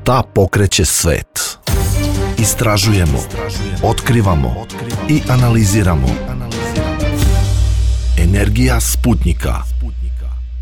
Šta pokreće svet? Istražujemo, otkrivamo i analiziramo. Energija Sputnjika.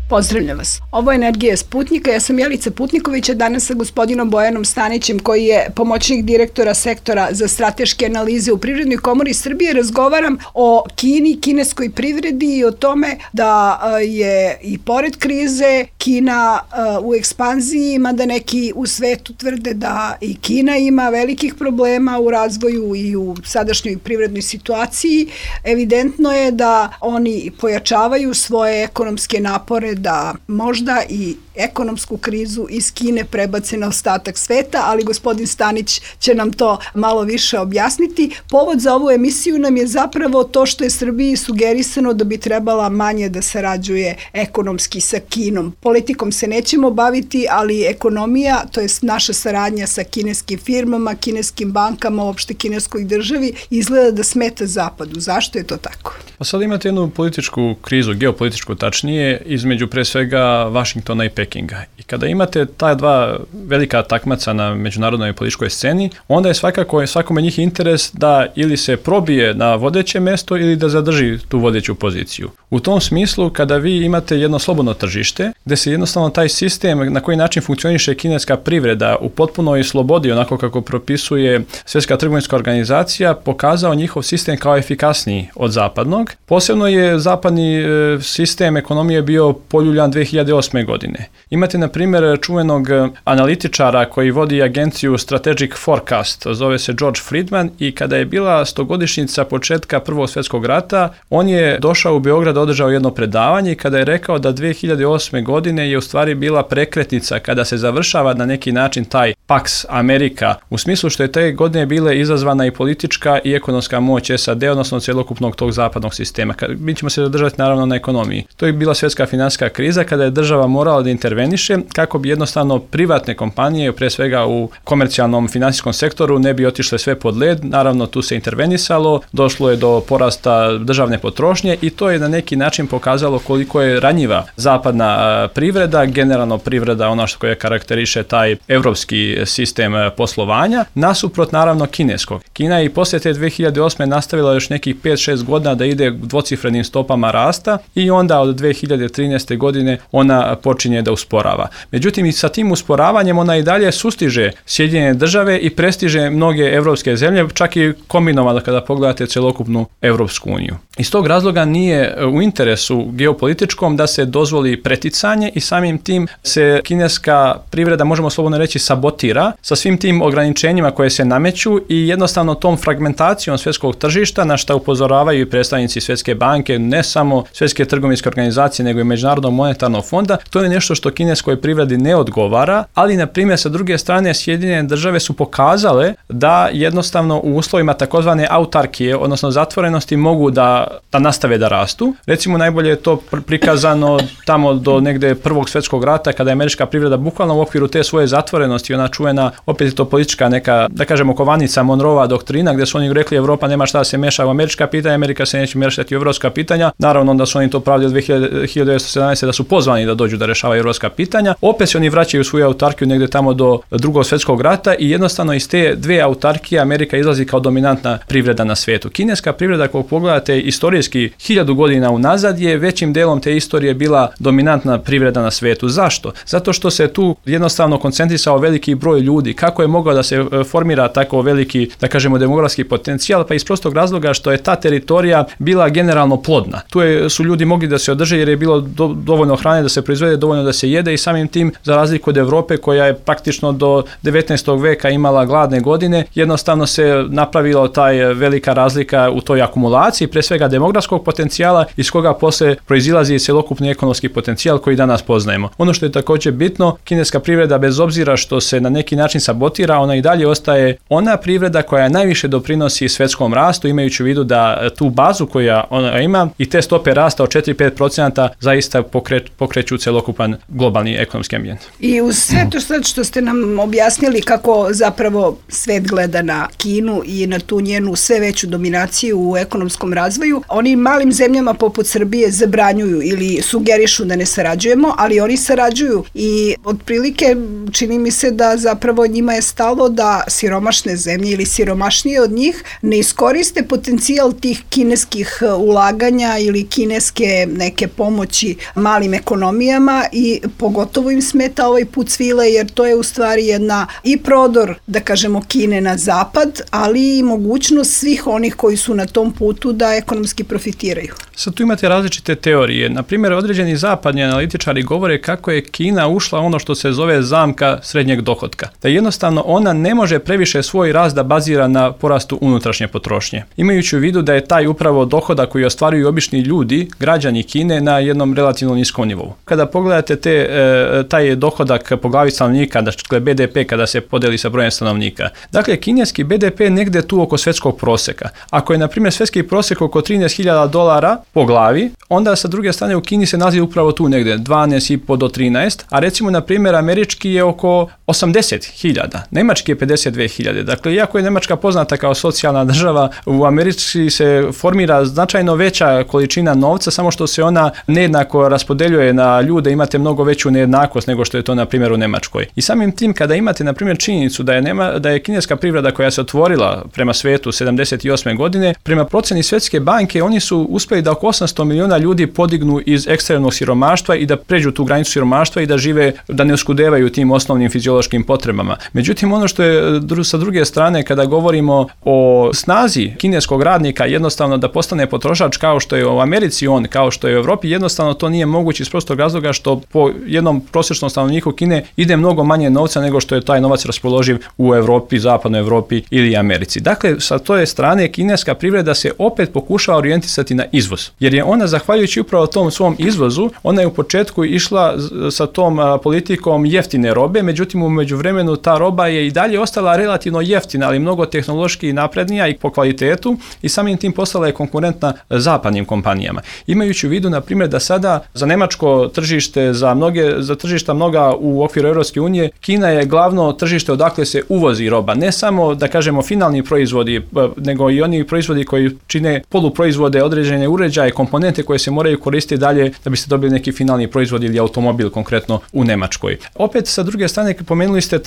Pozdravljam vas. Ovo je Energija Sputnjika. Ja sam Jelica Putniković, a danas sa gospodinom Bojanom Stanićem, koji je pomoćnik direktora sektora za strateške analize u Privrednoj komori Srbije. Razgovaram o Kini, kineskoj privredi i o tome da je i pored krize Kina u ekspanziji, mada neki u svetu tvrde da i Kina ima velikih problema u razvoju i u sadašnjoj privrednoj situaciji. Evidentno je da oni pojačavaju svoje ekonomske napore da možda i ekonomsku krizu iz Kine prebace na ostatak sveta, ali gospodin Stanić će nam to malo više objasniti. Povod za ovu emisiju nam je zapravo to što je Srbiji sugerisano da bi trebala manje da sarađuje ekonomski sa Kinom. Politikom se nećemo baviti, ali ekonomija, to je naša saradnja sa kineskim firmama, kineskim bankama, uopšte kineskoj državi, izgleda da smeta Zapadu. Zašto je to tako? Pa sad imate jednu političku krizu, geopolitičku tačnije, između pre svega Vašingtona i Pekinga. I kada imate ta dva velika takmaca na međunarodnoj političkoj sceni, onda je svakako svakome njih interes da ili se probije na vodeće mesto ili da zadrži tu vodeću poziciju. U tom smislu, kada vi imate jedno slobodno tržište, gde se jednostavno taj sistem na koji način funkcioniše kineska privreda u potpunoj slobodi, onako kako propisuje Svjetska trgovinska organizacija, pokazao njihov sistem kao efikasniji od zapadnog. Posebno je zapadni sistem ekonomije bio poljuljan 2008. godine. Imate, na primjer, čuvenog analitičara koji vodi agenciju Strategic Forecast, zove se George Friedman, i kada je bila 100-godišnjica početka Prvog svjetskog rata, on je došao u Beograd, održao jedno predavanje i kada je rekao da 2008. godine je u stvari bila prekretnica kada se završava na neki način taj Pax America, u smislu što je te godine bile izazvana i politička i ekonomska moć SAD, odnosno cjelokupnog tog zapadnog sistema. Mi ćemo se zadržati naravno na ekonomiji. To je bila svjetska financijska kriza kada je država morala da interveniše kako bi jednostavno privatne kompanije, pre svega u komercijalnom financijskom sektoru, ne bi otišle sve pod led. Naravno, tu se intervenisalo, došlo je do porasta državne potrošnje i to je na neki način pokazalo koliko je ranjiva zapadna privreda, generalno privreda, ono što je karakteriše taj evropski sistem poslovanja, nasuprot naravno kineskog. Kina je i poslije te 2008. nastavila još nekih 5-6 godina da ide dvocifrenim stopama rasta i onda od 2013. godine ona počinje da usporava. Međutim, i sa tim usporavanjem ona i dalje sustiže Sjedinjene države i prestiže mnoge evropske zemlje, čak i kombinovano kada pogledate celokupnu Evropsku uniju. Iz tog razloga nije u interesu geopolitičkom da se dozvoli preticanje i samim tim se kineska privreda, možemo slobodno reći, sabotira sa svim tim ograničenjima koje se nameću i jednostavno tom fragmentacijom svjetskog tržišta, na što upozoravaju i predstavnici Svjetske banke, ne samo Svjetske trgovinske organizacije, nego i Međunarodnog monetarnog fonda. To je nešto što kineskoj privredi ne odgovara, ali na primjer sa druge strane Sjedinjene države su pokazale da jednostavno u uslovima takozvane autarkije, odnosno zatvorenosti, mogu da nastave da rastu. Recimo najbolje je to prikazano tamo do negde Prvog svjetskog rata, kada je američka privreda bukvalno u okviru te svoje zatvorenosti, ona čuvena, opet je to politička neka, da kažemo, kovanica, Monroeva doktrina, gdje su oni rekli Evropa nema šta da se meša u američka pitanja, Amerika se neće mešati u evropska pitanja. Naravno, onda su oni to pravili od 1917. da su pozvani da dođu da rešavaju evropska pitanja. Opet se oni vraćaju svoju autarkiju negde tamo do Drugog svjetskog rata i jednostavno iz te dve autarkije Amerika izlazi kao dominantna privreda na svijetu. Kineska privreda, ako pogledate istorijski 1000 godina unazad, je većim delom te istorije bila dominantna privreda na svijetu. Zašto? Zato što se tu jednostavno koncentrisao veliki broj ljudi. Kako je mogao da se formira tako veliki, da kažemo, demografski potencijal? Pa iz prostog razloga što je ta teritorija bila generalno plodna. Tu su ljudi mogli da se održe jer je bilo dovoljno hrane da se proizvede, dovoljno da se jede i samim tim, za razliku od Evrope koja je praktično do 19. veka imala gladne godine, jednostavno se napravila taj velika razlika u toj akumulaciji, pre svega demografskog potencijala, iz koga posle proizilazi celokupni ekonomski potencijal koji danas poznajemo. Ono što je također bitno, kineska privreda, bez obzira što se na neki način sabotira, ona i dalje ostaje ona privreda koja najviše doprinosi svjetskom rastu, imajući u vidu da tu bazu koja ona ima i te stope rasta od 4-5% zaista pokreću celokupan globalni ekonomski ambijent. I uz sve to sad što ste nam objasnili kako zapravo svet gleda na Kinu i na tu njenu sve veću dominaciju u ekonomskom razvoju, oni malim zemljama poput Srbije zabranjuju ili sugerišu da ne sarađujemo, ali oni sarađuju i otprilike čini mi se da zapravo njima je stalo da siromašne zemlje ili siromašnije od njih ne iskoriste potencijal tih kineskih ulaganja ili kineske neke pomoći malim ekonomijama i pogotovo im smeta ovaj put svile jer to je u stvari jedna i prodor, da kažemo, Kine na zapad, ali i mogućnost svih onih koji su na tom putu da ekonomski profitiraju. Sad tu imate različite teorije. Na primjer, određeni zapadni analitičari govore kako je Kina ušla ono što se zove zamka srednjeg dohotka. Da jednostavno ona ne može previše svoj rast da bazira na porastu unutrašnje potrošnje. Imajući u vidu da je taj upravo dohodak koji ostvaruju obični ljudi, građani Kine, na jednom relativno niskom nivou. Kada pogledate taj dohodak po glavi stanovnika, dakle BDP kada se podeli sa brojem stanovnika. Dakle, kineski BDP je negde tu oko svjetskog proseka. Ako je, na primjer, svjetski prosek oko $13.000 po glavi, onda sa druge strane u Kini se nalazi upravo tu negde 12,5 do 13, a recimo, na primjer, američki je oko 80.000, nemački je 52.000. Dakle, iako je Nemačka poznata kao socijalna država, u Americi se formira značajno veća količina novca, samo što se ona nejednako raspodeljuje na ljude, imate mnogo veću nejednakost nego što je to, na primjer, u Nemačkoj. I samim tim, kada imate, na primjer, činjenicu da je kineska privreda koja se otvorila prema svetu 78. godine, prema proceni Svjetske banke, oni su uspjeli da oko 800 miliona ljudi podignu iz ekstremnog siromaštva i da pređu tu granicu siromaštva i da žive, da ne oskudevaju tim osnovnim fiziološkim potrebama. Međutim, ono što je sa druge strane, kada govorimo o snazi kineskog radnika, jednostavno da postane potrošač kao što je u Americi kao što je u Europi, jednostavno to nije moguće iz prostog razloga što po jednom prosječnom stanovniku Kine ide mnogo manje novca nego što je taj novac raspoloživ u Europi, zapadnoj Europi ili Americi. Dakle, sa toj strane kineska privreda se opet pokušava orijentisati na izvoz. Jer je ona, zahvaljujući upravo tom svom izvozu, ona je u početku išla sa tom politikom jeftine robe, međutim u međuvremenu ta roba je i dalje ostala relativno jeftina, ali mnogo tehnološki naprednija i po kvalitetu i samim tim postala je konkurentna zapadnim kompanijama. Imajući u vidu, na primjer, da sada za nemačko tržište, za tržišta mnoga u okviru Europske unije, Kina je glavno tržište odakle se uvozi roba. Ne samo, da kažemo, finalni proizvodi, nego i oni proizvodi koji čine poluproizvode, određene uređaje, komponente koje se moraju koristiti dalje da bi se dobili neki finalni proizvod ili automobil konkretno u Nemačkoj. Opet, sa druge strane, pomenuli ste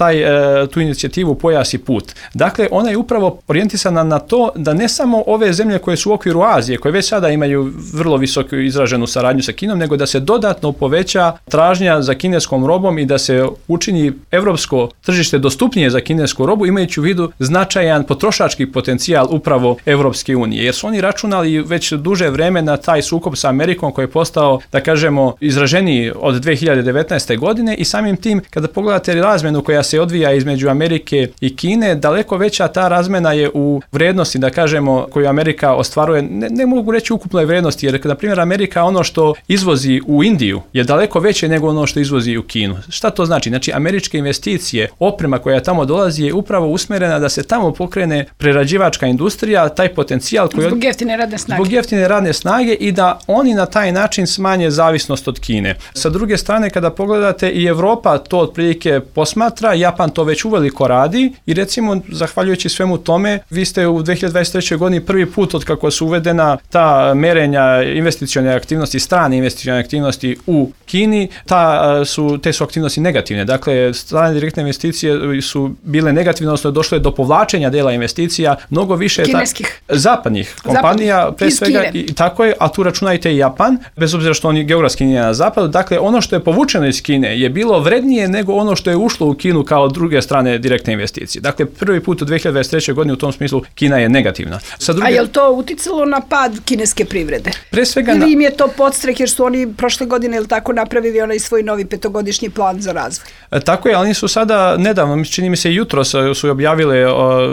tu inicijativu Pojas i put. Dakle, ona je upravo orijentisana na to da ne samo ove zemlje koje su u okviru Azije, koje već sada imaju vrlo visoku izraženu saradnju sa Kinom, nego da se dodatno poveća tražnja za kineskom robom i da se učini evropsko tržište dostupnije za kinesku robu, imajući u vidu značajan potrošački potencijal upravo Evropske unije. Jer su oni računali već duže vreme na taj sukob sa Amerikom koji je postao, da kažemo, izraženiji od 2019. godine i samim tim, kada pogledate razmenu koja se odvija između Amerike i Kine, daleko veća ta razmena je u vrednosti, da kažemo, koju Amerika ostvaruje, ne mogu reći ukupnoj vrednosti, jer, na primjer, Amerika ono što izvozi u Indiju je daleko veće nego ono što izvozi u Kinu. Šta to znači? Znači, američke investicije, oprema koja tamo dolazi je upravo usmjerena da se tamo pokrene prerađivačka industrija, taj potencijal koji zbog jeftine radne snage i da oni na taj način smanje zavisnost od Kine. Sa druge strane, kada pogledate, i Europa to otprilike posmatra, Japan to već uveliko radi i recimo, zahvaljujući svemu tome, vi ste u 2023. godini prvi put od kako su uvedena ta merenja investicione aktivnosti, strane investicione aktivnosti u Kini, te su aktivnosti negativne. Dakle, strane direktne investicije su bile negativne, odnosno došlo je do povlačenja dela investicija, mnogo više kineskih, zapadnih kompanija, pre svega, i tako je, a tu računajte i Japan, bez obzira što oni geografski nije na zapadu. Dakle, ono što je povučeno iz Kine je bilo vrednije nego ono što je ušlo u Kinu kao druge strane direktne investicije. Dakle, prvi put u 2023. godini u tom smislu Kina je negativna. A je li to uticalo na pad kineske privrede? Pre svega ili im je to podstrek jer su oni prošle godine ili tako napravili onaj svoj novi 5-godišnji plan za razvoj? Tako je, ali oni su sada nedavno, čini mi se jutros su objavile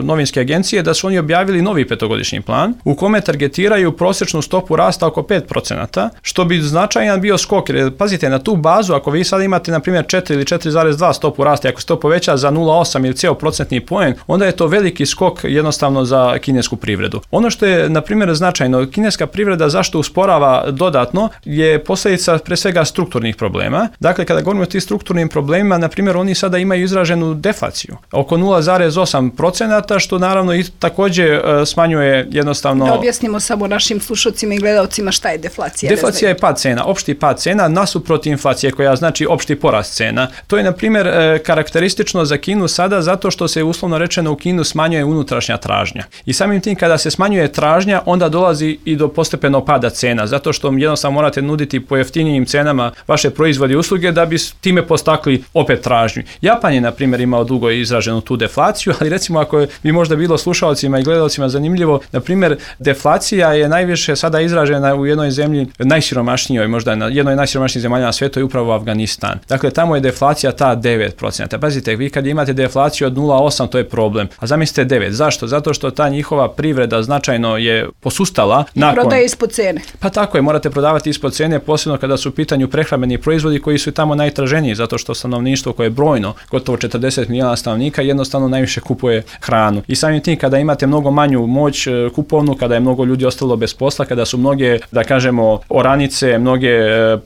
novinske agencije da su oni objavili novi 5-godišnji plan u kome targetiraju prosječnu stopu rasta oko 5%, što bi značajan bio skok. Jer, pazite, na tu bazu, ako vi sada imate, na primjer, 4 ili 4,2 stopu rasta, ako se to poveća za 0,8 ili cijel procentni poen, onda je to veliki skok jednostavno za kinesku privredu. Ono što je, na primjer, značajno, kineska privreda zašto usporava dodatno je posljedica pre svega strukturnih problema. Dakle, kada govorimo o tim strukturnim problemima, na primjer, oni sada imaju izraženu deflaciju oko 0,8%, što naravno i također smanjuje jednostavno... Da objasnimo samo našim slušacima i gledalcima šta je deflacija? Deflacija je pad cena, opšti pad cena nasuprot inflacije koja znači opšti porast cena. To je na primjer karakteristično za Kinu sada zato što se uslovno rečeno u Kinu smanjuje unutrašnja tražnja. I samim tim kada se smanjuje tražnja onda dolazi i do postepenog pada cena zato što jednostavno morate nuditi po jeftinijim cenama vaše proizvode i usluge da bi time postakli opet tražnju. Japan je na primjer imao dugo izraženu tu deflaciju, ali recimo ako bi možda bilo slušalcima i gledalcima zanimljivo, na primjer deflacija je najviše sada izražena u jednoj zemlji najsiromašnijoj, možda na jednoj najsiromašnijih zemalja na svijetu je upravo Afganistan. Dakle, tamo je deflacija ta 9%. Pazite, vi kad imate deflaciju od 0,8 to je problem. A zamislite 9. Zašto? Zato što ta njihova privreda značajno je posustala. I prodaje ispod cene. Pa tako je, morate prodavati ispod cene, posebno kada su u pitanju prehrambeni proizvodi koji su tamo najtraženiji, zato što stanovništvo koje je brojno, gotovo 40 milijuna stanovnika, jednostavno najviše kupuje hranu. I samim tim kada imate mnogo manju moć kupovnu, kada je mnogo ljudi ostalo bez posla, kada su mnoge, da kažemo, oranice, mnoge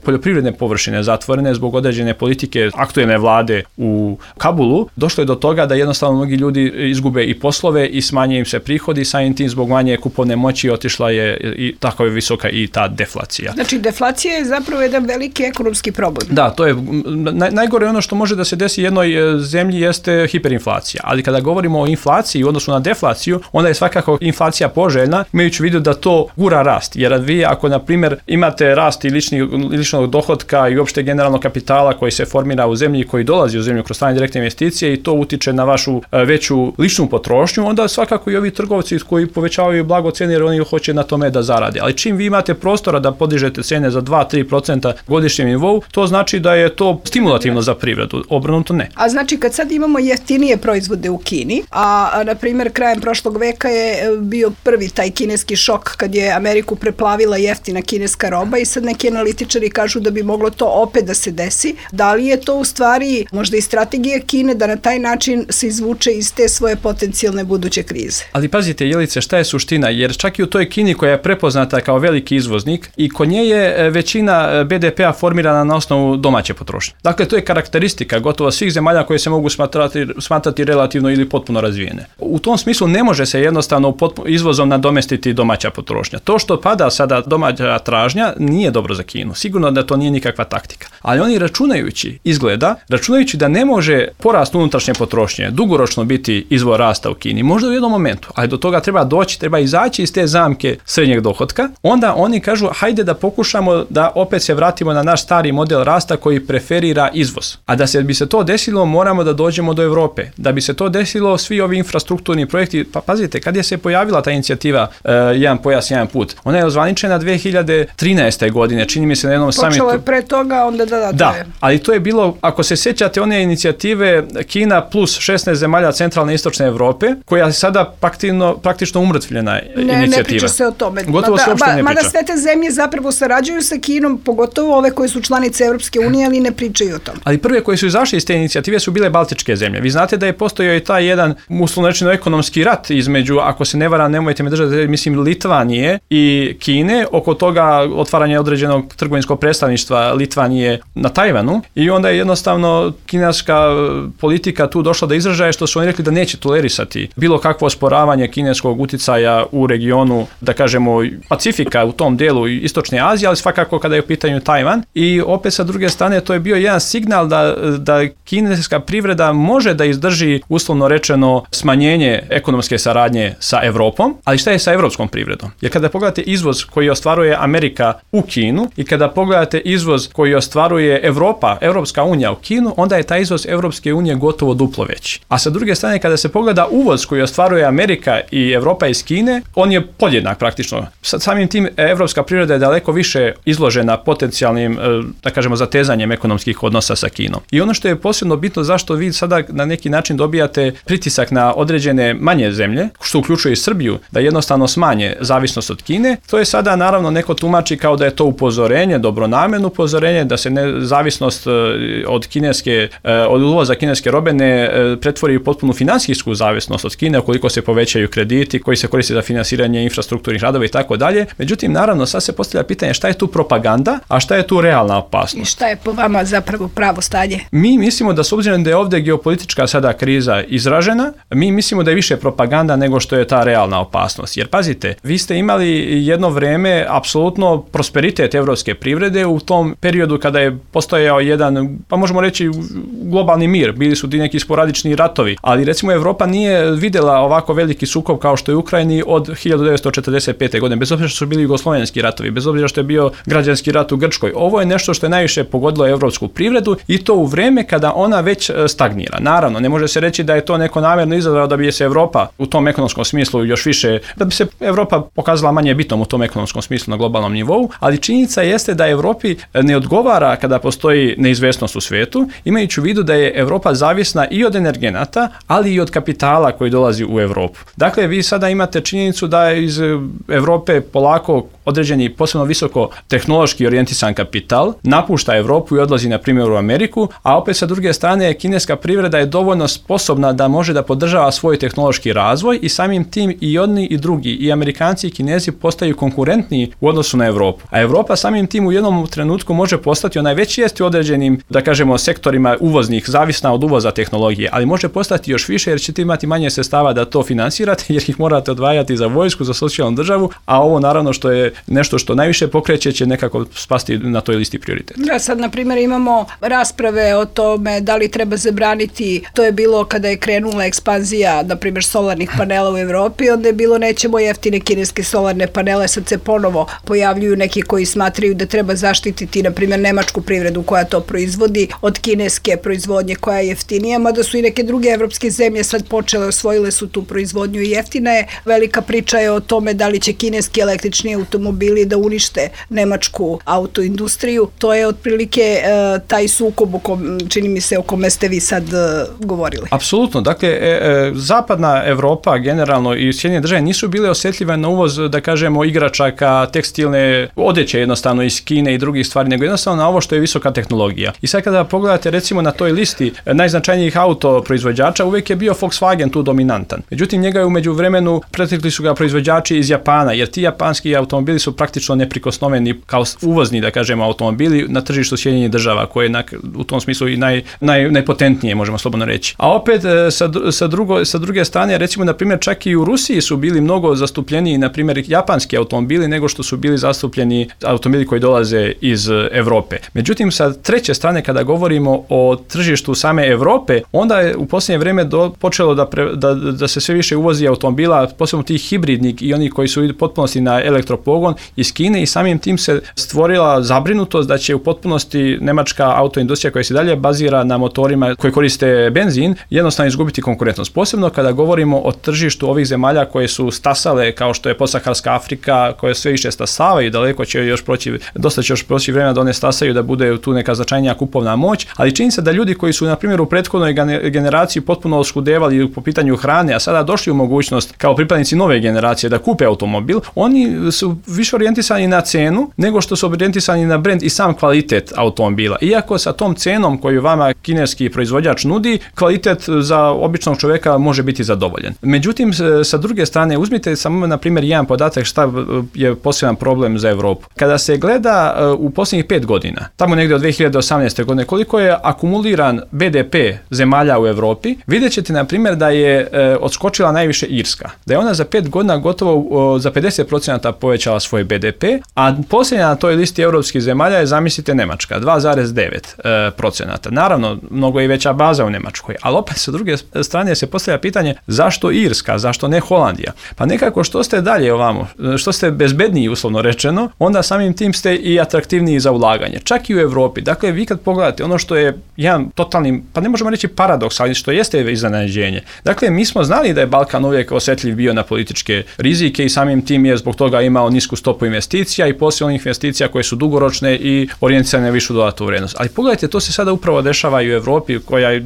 poljoprivredne površine zatvorene zbog određene politike aktuelne vlade u Kabulu, došlo je do toga da jednostavno mnogi ljudi izgube i poslove i smanje im se prihodi, samim tim zbog manje kupovne moći otišla je i tako je visoka i ta deflacija. Znači, deflacija je zapravo jedan veliki ekonomski problem. Da, to je najgore ono što može da se desi jednoj zemlji jeste hiperinflacija, ali kada govorimo o inflaciji u odnosu na deflaciju, onda je svakako inflacija poželjna, imajući u vidu da to gura rast, jer vi ako na primjer imate rast i ličnog dohotka i uopšte generalnog kapitala koji se formira u zemlji i koji dolazi u zemlju kroz strane direktne investicije i to utiče na vašu veću ličnu potrošnju, onda svakako i ovi trgovci koji povećavaju blago cene jer oni hoće na tome da zarade. Ali čim vi imate prostora da podižete cene za 2-3% godišnjem nivou, to znači da je to stimulativno za privredu, obrnuto ne. A znači kad sad imamo jeftinije proizvode u Kini, a na primjer krajem prošlog veka je bio prvi taj kineski šok kad je Ameriku preplavila jeftina kineska roba i sad neki analitičari kažu da bi moglo to opet da se desi. Da li je to u stvari možda i strategija Kine da na taj način se izvuče iz te svoje potencijalne buduće krize? Ali pazite, Jelice, šta je suština? Jer čak i u toj Kini koja je prepoznata kao veliki izvoznik i kod nje je većina BDP-a formirana na osnovu domaće potrošnje. Dakle, to je karakteristika gotovo svih zemalja koje se mogu smatrati relativno ili potpuno razvijene. U tom smislu ne može se jednostavno izvozom nadomestiti domaća potrošnja. To što pada sada domaća tražnja nije dobro za Kinu. Sigurno da to nije nikakva taktika. Ali oni računajući da ne može porast unutrašnje potrošnje dugoročno biti izvor rasta u Kini, možda u jednom momentu, ali do toga treba izaći iz te zamke srednjeg dohotka, onda oni kažu hajde da pokušamo da opet se vratimo na naš stari model rasta koji preferira izvoz. A da bi se to desilo, moramo da dođemo do Europe. Da bi se to desilo, svi ovi infrastrukturni projekti, pa pazite, kad je se pojavila ta inicijativa Jedan pojas, jedan put, ona je ozvaničena 2013. godine, čini mi se na jednom samitu. Počelo je pre toga, onda da, ali to je bilo, ako se sjećate one inicijative Kina plus 16 zemalja centralne i istočne Evrope, koja je sada praktično umrtvljena inicijativa. Ne priča se o tome. Gotovo se uopšte ne priča. Mada sve te zemlje zapravo sarađuju sa Kinom, pogotovo ove koje su članice Evropske unije, ali ne pričaju o tome. Ali prve koje su izašle iz te inicijative su bile Baltičke zemlje. Vi znate da je postojao i taj jedan uslovno rečeno ekonomski rat između, ako se ne varam, nemojte me držati, mislim Litvanije i Kine, oko toga otvaranja određenog trgovinskog predstavništva Litvanije na Tajvanu i onda je jednostavno kineska politika tu došla do izražaja što su oni rekli da neće tolerisati bilo kakvo osporavanje kineskog uticaja u regionu, da kažemo Pacifika u tom delu Istočne Azije, ali svakako kada je u pitanju Tajvan i opet sa druge strane to je bio jedan signal da kineska privreda može da izdrži uslovno rečeno smanjenje ekonomske saradnje sa Evropom, ali šta je sa evropskom privredom? Jer kada pogledate izvoz koji ostvaruje Amerika u Kinu i kada pogledate izvoz koji ostvaruje Evropska unija u Kinu, onda je taj izvoz Evropske unije gotovo duplo veći. A sa druge strane kada se pogleda uvoz koji ostvaruje Amerika i Evropa iz Kine, on je podjednak praktično. Samim tim evropska privreda je daleko više izložena potencijalnim, da kažemo, zatezanjem ekonomskih odnosa sa Kinom. I ono što je posebno bitno zašto vi sada na neki način dobijate pritisak na određene manje zemlje, što uključuje i Srbiju, da jednostavno smanje zavisnost od Kine, to je sada naravno neko tumači kao da je to upozorenje, dobronamjerno upozorenje, da se zavisnost od uvoza kineske robe ne pretvori u potpunu finansijsku zavisnost od Kine ukoliko se povećaju krediti koji se koriste za finansiranje infrastrukturnih radova i tako dalje. Međutim, naravno, sad se postavlja pitanje šta je tu propaganda, a šta je tu realna opasnost. I šta je po vama zapravo pravo stanje? Mi mislimo da s obzirom da je ovdje geopolitička sada kriza izražena, mi mislimo da je više propaganda nego što je ta realna opasnost. Jer pazite, vi ste imali jedno vreme apsolutno prosperitet evropske privrede u tom periodu kada je postojao jedan, pa možemo reći, globalni mir. Bili su ti neki sporadični ratovi, ali recimo Evropa nije vidjela ovako veliki sukob kao što je u Ukrajini od 1945. godine, bez obzira što su bili jugoslovenski ratovi, bez obzira što je bio građanski rat u Grčkoj. Ovo je nešto što je najviše pogodilo evropsku privredu i to u vreme kada ona već stagnira. Naravno, ne može se reći da je to neko namjerno izazvalo da bi se Evropa u tom ekonomskom smislu još više, da bi se Evropa pokazala manje bitnom u tom ekonomskom smislu na globalnom nivou, ali činjenica jeste da Evropi ne odgovara kada postoji neizvesnost u svijetu, imajući u vidu da je Evropa zavisna i od energenata, ali i od kapitala koji dolazi u Evropu. Dakle, vi sada imate činjenicu da iz Evrope polako određeni posebno visoko tehnološki orijentisan kapital napušta Evropu i odlazi na primjer u Ameriku, a opet sa druge strane kineska privreda je dovoljno sposobna da može da podržava svoj tehnološki razvoj i samim tim i jedni i drugi, i Amerikanci i Kinezi postaju konkurentniji u odnosu na Evropu. A Evropa samim tim u jednom trenutku može postati, ona već jest u određenim, da kažemo, sektorima uvoznih, zavisna od uvoza tehnologije, ali može postati još više jer ćete imati manje sredstava da to finansirate, jer ih morate odvajati za vojsku, za socijalnu državu, a ovo naravno što je nešto što najviše pokreće će nekako spasti na toj listi prioriteta. Da, sad na primjer imamo rasprave o tome da li treba zabraniti, to je bilo kada je krenula ekspanzija, na primjer, solarnih panela u Evropi, onda je bilo nećemo jeftine kineske solarne panele, sad se ponovo pojavljuju neki koji smatraju da treba zaštititi, na primjer, nemačku privredu koja to proizvodi od kineske proizvodnje koja je jeftinija, mada su i neke druge evropske zemlje sad počele, osvojile su tu proizvodnju i jeftina je. Velika priča je o tome da li će kineski električni automobili da unište nemačku autoindustriju. To je otprilike taj sukob čini mi se o kome ste vi sad govorili. Apsolutno. Dakle, zapadna Evropa generalno i Sjedinjene države nisu bile osjetljive na uvoz, da kažemo, igračaka, tekstilne odeće jednostavno iz Kine i drugih stvari, nego jednostavno na ovo što je visoka tehnologija. I sad kada pogledate recimo na toj listi najznačajnijih autoproizvođača, uvijek je bio Volkswagen tu dominantan. Međutim, njega je u međuvremenu pretekli su ga proizvođači iz Japana, jer ti japanski automobili su praktično neprikosnoveni kao uvozni, da kažemo, automobili na tržištu Sjedinjenih država, koje je u tom smislu i najpotentnije, možemo slobodno reći. A opet sa druge strane, recimo, na primjer, čak i u Rusiji su bili mnogo zastupljeniji, na primjer, japanski automobili nego što su bili zastupljeni automobili koji dolaze iz Evrope. Međutim, sa treće strane, kada govorimo o tržištu same Evrope, onda je u posljednje vrijeme počelo da se sve više uvozi automobila, posebno tih hibridnih i oni koji su u potpunosti na elektropogon iz Kine, i samim tim se stvorila zabrinutost da će u potpunosti nemačka autoindustrija koja se dalje bazira na motorima koji koriste benzin jednostavno izgubiti konkurentnost. Posebno kada govorimo o tržištu ovih zemalja koje su stasale, kao što je podsaharska Afrika, koje sve više stasavaju, daleko će još proći, dosta će još proći vremena da one stasaju, da bude tu neka značajnija kupovna moć, ali čini se da ljudi koji su, na primjer, u prethodnoj generaciji potpuno oskudevali po pitanju hrane, a sada došli u mogućnost kao pripadnici nove generacije da kupe automobil, oni su više orijentisani na cenu nego što su orijentisani na brend i sam kvalitet automobila. Iako sa tom cenom koju vama kineski proizvođač nudi, kvalitet za običnog čovjeka može biti zadovoljen. Međutim, sa druge strane, uzmite samo, na primjer, jedan podatak šta je poseban problem za Evropu. Kada se gleda u posljednjih 5 godina, tamo negdje od 2018. godine, koliko je akumuliran BDP zemalja u Evropi, vidjet ćete, na primjer, da je odskočila najviše Irska. Da je ona za 5 godina gotovo za 50% povećala svoj BDP, a posljednja na toj listi europskih zemalja je, zamislite, Nemačka, 2,9%. Naravno, mnogo je veća baza u Nemačkoj, ali opet sa druge strane se postavlja pitanje zašto Irska, zašto ne Holandija? Pa nekako što ste dalje ovamo, što ste bezbedniji, uslovno rečeno, onda samim tim ste i atraktivniji za ulaganje. Čak i u Evropi. Dakle, vi kad pogledate ono što je jedan totalni, pa ne možemo reći paradoks, ali što jeste iznenađenje. Dakle, mi smo znali da je Balkan uvijek osjetljiv bio na političke rizike i samim tim je zbog toga imao nisku stopu investicija i poslije onih investicija koje su dugoročne i orijentisane na višu dodatnu vrijednost. Ali pogledajte, to se sada upravo dešava i u Evropi, koja je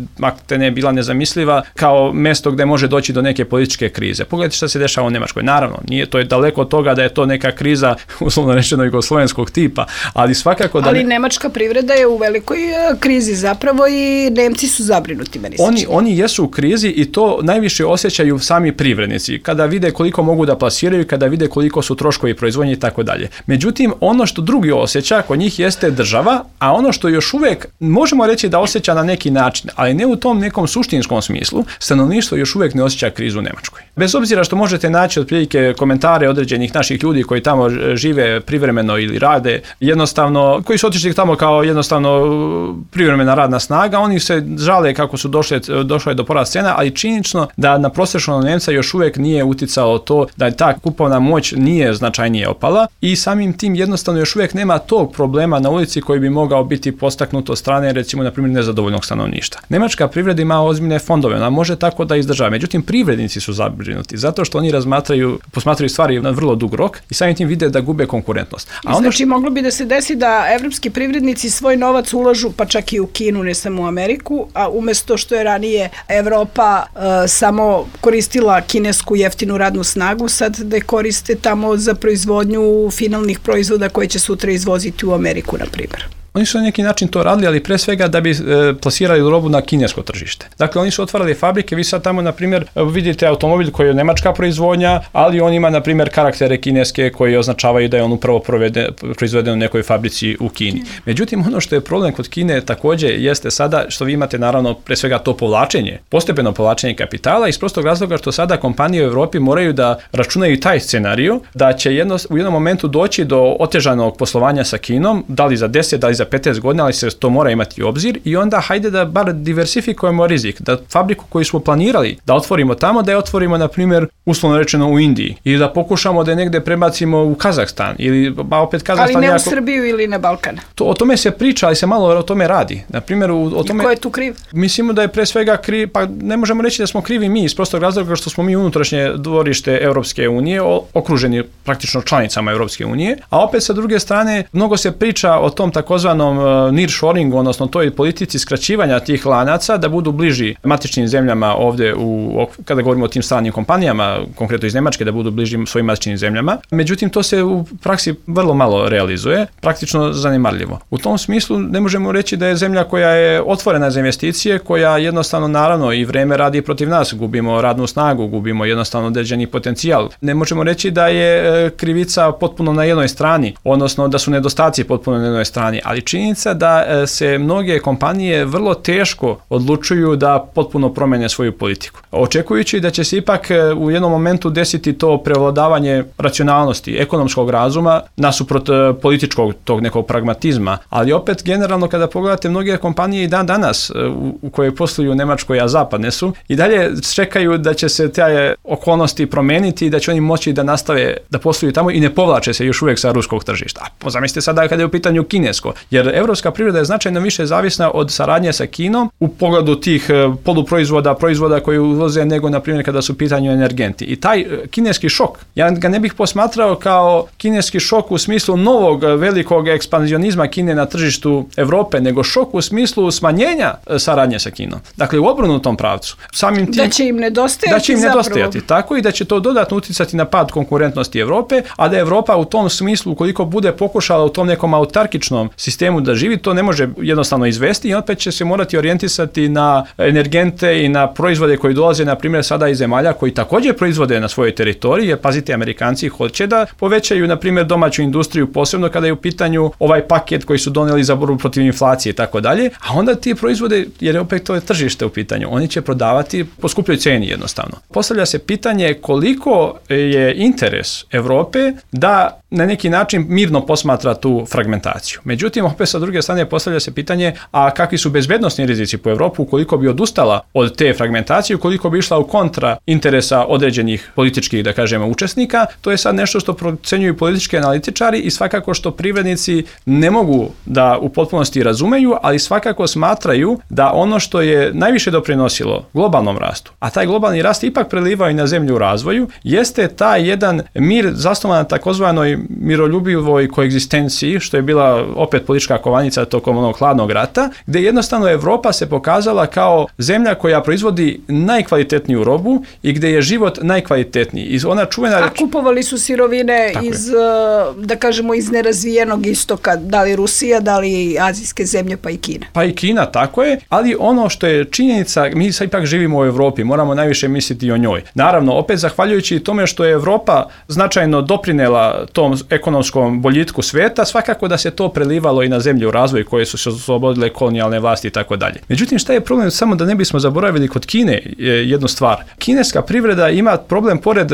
ne bila nezamisliva kao mjesto gdje može doći do neke političke krize. Pogledajte šta se dešava u Njemačkoj. Naravno, nije to je daleko od toga da je to neka kriza, uslovno rečeno, jugoslovenskog tipa, ali svakako da... Ali nemačka privreda je u velikoj krizi zapravo i Nemci su zabrinuti, meni se čini. Oni jesu u krizi i to najviše osjećaju sami privrednici, kada vide koliko mogu da plasiraju, kada vide koliko su troškovi proizvodnje i tako dalje. Međutim, ono što drugi osjeća kod njih jeste država, a ono što još uvijek možemo reći da osjeća na neki način, ali ne u tom nekom suštinskom smislu, stanovništvo još uvijek ne osjeća krizu u Njemačkoj. Bez obzira što možete naći otprilike komentare određenih naših ljudi koji tamo žive privremeno ili rade, jednostavno, koji su otišli tamo kao jednostavno privremena radna snaga, oni se žale kako su došle do porasta cena, ali činjenično da na prosječnog Nemca još uvijek nije uticalo to da ta kupovna moć nije značajnije opala i samim tim jednostavno još uvijek nema tog problema na ulici koji bi mogao biti postaknut od strane, recimo, na primjer, nezadovoljnog stanovništva. Nemačka privreda ima ozbiljne fondove, ona može tako da izdržava. Međutim, privrednici su zabrinuti zato što oni posmatraju stvari na vrlo dug rok i samim tim vide da gube konkurentnost. Znači, moglo bi da se desi da evropski privrednici svoj novac ulažu, pa čak i u Kinu, ne samo u Ameriku, a umjesto što je ranije Evropa samo koristila kinesku jeftinu radnu snagu, sad da je koriste tamo za proizvodnju finalnih proizvoda koje će sutra izvoziti u Ameriku, na primjer. Oni su na neki način to radili, ali pre svega da bi plasirali robu na kinesko tržište. Dakle, oni su otvarali fabrike, vi sad tamo, na primjer, vidite automobil koji je nemačka proizvodnja, ali on ima, na primjer, karaktere kineske koji označavaju da je on upravo proizveden u nekoj fabrici u Kini. Međutim, ono što je problem kod Kine također jeste sada što vi imate, naravno, pre svega to povlačenje, postepeno povlačenje kapitala iz prostog razloga što sada kompanije u Europi moraju da računaju taj scenarij, da će u jednom momentu doći do otežanog poslovanja sa Kinom, da li za 10, da li za 15 godina, ali se to mora imati u obzir i onda hajde da bar diversifikujemo rizik, da fabriku koju smo planirali da otvorimo tamo, da je otvorimo, na primjer, uslovno rečeno u Indiji ili da pokušamo da je negde prebacimo u Kazahstan ili opet Kazahstan. Ali ne u Srbiju ili na Balkan. O tome se priča, ali se malo o tome radi. Na primjer, o tome... I ko je tu kriv? Mislimo da je pre svega kriv, pa ne možemo reći da smo krivi mi iz prostog razloga što smo mi unutrašnje dvorište Europske unije, okruženi praktično članicama Europske unije, a opet sa druge strane mnogo se priča o tom takozvanom nearshoringu, odnosno toj politici skraćivanja tih lanaca da budu bliži matičnim zemljama ovdje kada govorimo o tim stranim kompanijama, konkretno iz Njemačke, da budu bliži svojim matičnim zemljama. Međutim, to se u praksi vrlo malo realizuje, praktično zanemarljivo. U tom smislu ne možemo reći da je zemlja koja je otvorena za investicije, koja jednostavno, naravno, i vreme radi protiv nas, gubimo radnu snagu, gubimo jednostavno određeni potencijal. Ne možemo reći da je krivica potpuno na jednoj strani, odnosno da su nedostaci potpuno na jednoj strani, ali činjenica da se mnoge kompanije vrlo teško odlučuju da potpuno promene svoju politiku. Očekujući da će se ipak u jednom momentu desiti to prevladavanje racionalnosti, ekonomskog razuma nasuprot političkog tog nekog pragmatizma, ali opet generalno kada pogledate mnoge kompanije i danas u koje posluju u Nemačkoj, a zapadne su, i dalje čekaju da će se te okolnosti promeniti i da će oni moći da nastave da posluju tamo i ne povlače se još uvijek sa ruskog tržišta. Zamislite sada kada je u pitanju kinesko, jer evropska privreda je značajno više zavisna od saradnje sa Kinom u pogledu tih proizvoda koji uvoze nego, na primjer, kada su u pitanju energenti. I taj kineski šok, ja ga ne bih posmatrao kao kineski šok u smislu novog velikog ekspanzionizma Kine na tržištu Europe, nego šok u smislu smanjenja saradnje sa Kinom. Dakle, u obrnutom pravcu. Samim tim, da će im nedostajati tako, i da će to dodatno uticati na pad konkurentnosti Europe, a da Europa u tom smislu, ukoliko bude pokušala u tom nekom autarkičnom sistemu da živi, to ne može jednostavno izvesti i opet će se morati orijentisati na energente i na proizvode koji dolaze, na primjer, sada iz zemalja koji također proizvode na svojoj teritoriji, jer pazite, Amerikanci hoće da povećaju, na primjer, domaću industriju, posebno kada je u pitanju ovaj paket koji su donijeli za borbu protiv inflacije i tako dalje, a onda ti proizvode, jer je opet to je tržište u pitanju, oni će prodavati po skupljoj cijeni jednostavno. Postavlja se pitanje koliko je interes Europe da na neki način mirno posmatra tu fragmentaciju. Međutim, opet sa druge strane postavlja se pitanje, a kakvi su bezbednosni rizici po Europu ukoliko bi odustala od te fragmentacije, ukoliko bi išla u kontra interesa određenih političkih, da kažemo, učesnika. To je sad nešto što procenjuju politički analitičari i svakako što privrednici ne mogu da u potpunosti razumeju, ali svakako smatraju da ono što je najviše doprinosilo globalnom rastu, a taj globalni rast ipak prelivao i na zemlju u razvoju, jeste taj jedan mir zasnovan na takozvanoj miroljubivoj koegzistenciji, što je bila opet politička kovanica tokom onog hladnog rata, gdje jednostavno Europa se pokazala kao zemlja koja proizvodi najkvalitetniju robu i gdje je život najkvalitetniji. I ona čuvena a kupovali su sirovine iz, da kažemo, iz nerazvijenog istoka, da li Rusija, da li azijske zemlje, pa i Kina. Pa i Kina, tako je, ali ono što je činjenica, mi sad ipak živimo u Europi, moramo najviše misliti o njoj. Naravno, opet zahvaljujući tome što je Europa značajno doprinela tom ekonomskom boljitku sveta, svakako da se to prelivalo i na zemlji u razvoju koje su se oslobodile kolonijalne vlasti i tako dalje. Međutim, šta je problem? Samo da ne bismo zaboravili kod Kine jednu stvar. Kineska privreda ima problem pored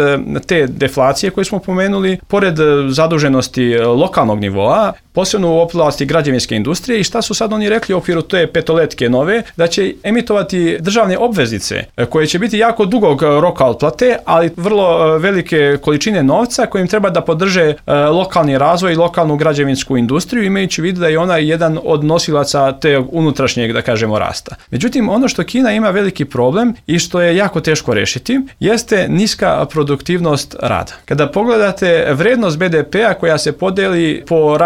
te deflacije koju smo pomenuli, pored zaduženosti lokalnog nivoa, posebno u oblasti građevinske industrije, i šta su sad oni rekli u okviru te petoletke nove, da će emitovati državne obveznice koje će biti jako dugog roka otplate, ali vrlo velike količine novca kojim treba da podrže lokalni razvoj i lokalnu građevinsku industriju, imajući u vidu da je ona jedan od nosilaca te unutrašnjeg, da kažemo, rasta. Međutim, ono što Kina ima veliki problem i što je jako teško rešiti, jeste niska produktivnost rada. Kada pogledate vrednost BDP-a koja se podeli po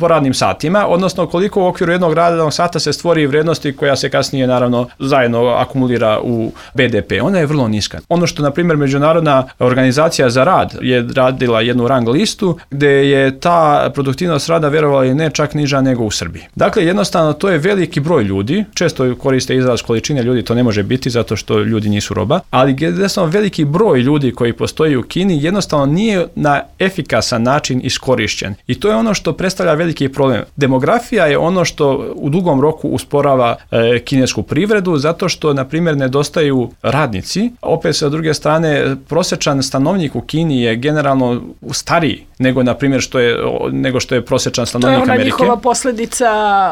radnim satima, odnosno koliko u okviru jednog radnog sata se stvori vrednosti koja se kasnije naravno zajedno akumulira u BDP. Ona je vrlo niska. Ono što, na primjer, Međunarodna organizacija za rad je radila jednu rang listu gde je ta produktivnost rada, verovali ne, čak niža nego u Srbiji. Dakle, jednostavno to je veliki broj ljudi, često koriste izraz količine ljudi, to ne može biti zato što ljudi nisu roba, ali jednostavno veliki broj ljudi koji postoji u Kini jednostavno nije na efikasan način iskorišćen. I to je ono što predstavlja veliki problem. Demografija je ono što u dugom roku usporava kinesku privredu, zato što, na primjer, nedostaju radnici. Opet, sa druge strane, prosječan stanovnik u Kini je generalno stariji nego, na primjer, što je prosječan stanovnik Amerike. To je ona njihova posljedica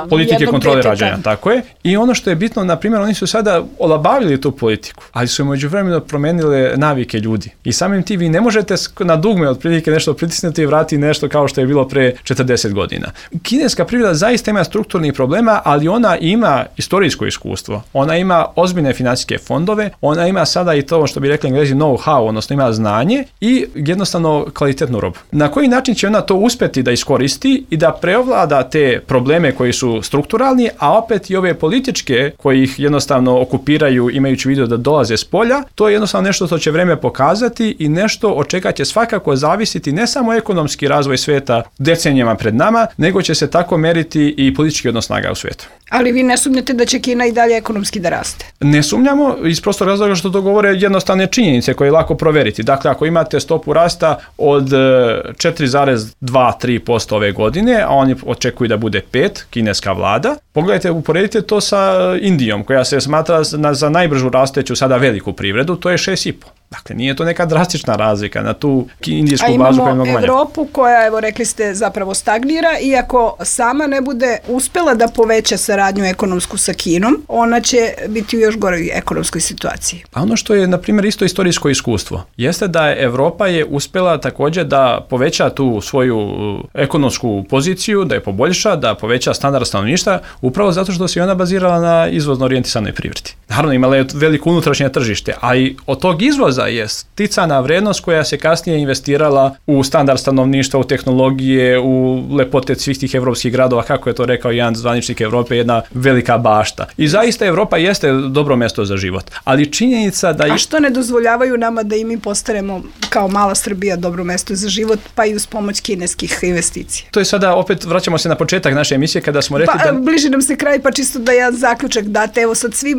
politike kontrole deteta. rađanja, tako je. I ono što je bitno, na primjer, oni su sada olabavili tu politiku, ali su međuvremeno promenile navike ljudi. I samim tim vi ne možete na dugme otprilike nešto pritisnuti i vratiti nešto kao što je bilo pre 40 godina. Kineska privreda zaista ima strukturnih problema, ali ona ima istorijsko iskustvo. Ona ima ozbiljne financijske fondove, ona ima sada i to što bi rekli Englezi know-how, odnosno ima znanje i jednostavno kvalitetnu robu. Na koji način će ona to uspjeti da iskoristi i da prevlada te probleme koji su strukturalni, a opet i ove političke koji ih jednostavno okupiraju imajući u vidu da dolaze s polja, to je jednostavno nešto što će vreme pokazati i nešto od čega će svakako zavisiti ne samo ekonomski razvoj sveta decenijama pred nama, nego će se tako meriti i politički odnos snaga u svijetu. Ali vi ne sumnjate da će Kina i dalje ekonomski da raste? Ne sumnjamo iz prostog razloga što to govore jednostavne činjenice koje je lako proveriti. Dakle, ako imate stopu rasta od 4,2-3% ove godine, a oni očekuju da bude 5%, kineska vlada, pogledajte, uporedite to sa Indijom, koja se smatra za najbržu rasteću sada veliku privredu, to je 6,5%. Dakle, nije to neka drastična razlika na tu indijsku bazu koja je mnogo manja. A imamo Evropu koja, evo rekli ste, zapravo stagnira, iako sama ne bude uspela da poveća saradnju ekonomsku sa Kinom, ona će biti u još goroj ekonomskoj situaciji. Pa ono što je, na primjer, isto istorijsko iskustvo, jeste da je Evropa uspela također da poveća tu svoju ekonomsku poziciju, da je poboljša, da poveća standard stanovništva, upravo zato što se ona bazirala na izvozno orijentisanoj privredi. Naravno, imala je veliko unutrašnje tržište, a i od tog izvoza je sticana vrednost koja se kasnije investirala u standard stanovništva, u tehnologije, u lepote svih tih evropskih gradova, kako je to rekao jedan zvaničnik Evrope, jedna velika bašta. I zaista Evropa jeste dobro mjesto za život. Ali činjenica da... A što ne dozvoljavaju nama da i mi postanemo kao mala Srbija dobro mjesto za život, pa i uz pomoć kineskih investicija? To je sada, opet vraćamo se na početak naše emisije kada smo rekli da... Bliži nam se kraj, pa čisto da jedan zaključak date, evo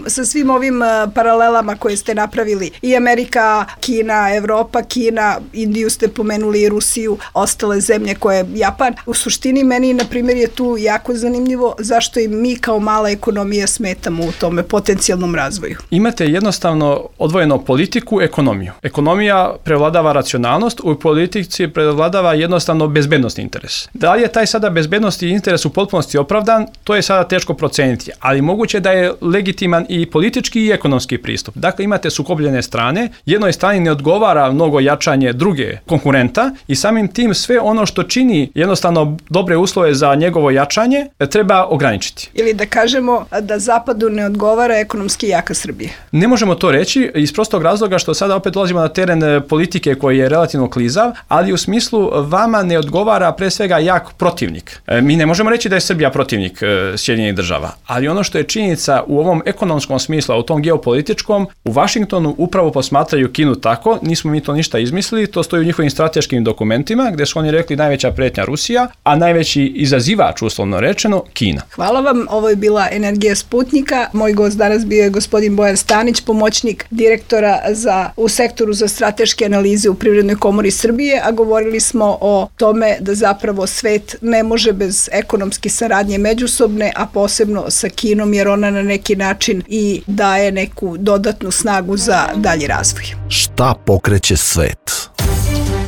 sa svim ovim paralelama koje ste napravili, i Amerika, Kina, Evropa, Kina, Indiju ste pomenuli, i Rusiju, ostale zemlje koje Japan. U suštini meni, na primjer, je tu jako zanimljivo zašto i mi kao mala ekonomija smetamo u tome potencijalnom razvoju. Imate jednostavno odvojeno politiku, ekonomiju. Ekonomija prevladava racionalnost, u politici prevladava jednostavno bezbednosni interes. Da li je taj sada bezbednosni interes u potpunosti opravdan, to je sada teško proceniti, ali moguće da je legitiman i politički i ekonomski pristup. Dakle, imate sukobljene strane, jednoj strani ne odgovara mnogo jačanje druge konkurenta i samim tim sve ono što čini jednostavno dobre uslove za njegovo jačanje treba ograničiti. Ili da kažemo da Zapadu ne odgovara ekonomski jaka Srbija. Ne možemo to reći iz prostog razloga što sada opet dolazimo na teren politike koji je relativno klizav, ali u smislu vama ne odgovara pre svega jak protivnik. Mi ne možemo reći da je Srbija protivnik Sjedinjenih država, ali ono što je činjenica u ovom ekonomskom smislu, a u tom geopolitičkom, u Vašingtonu upravo posmatraju predstavljaju Kinu tako, nismo mi to ništa izmislili, to stoji u njihovim strateškim dokumentima gdje su oni rekli najveća pretnja Rusija, a najveći izazivač, uslovno rečeno, Kina. Hvala vam, ovo je bila Energija Sputnika. Moj gost danas bio je gospodin Bojan Stanić, pomoćnik direktora u sektoru za strateške analize u Privrednoj komori Srbije, a govorili smo o tome da zapravo svet ne može bez ekonomske saradnje međusobne, a posebno sa Kinom, jer ona na neki način i daje neku dodatnu snagu za dalji razvoj. Šta pokreće svet?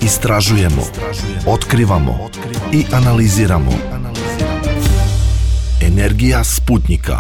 Istražujemo, otkrivamo i analiziramo. Energija Sputnika.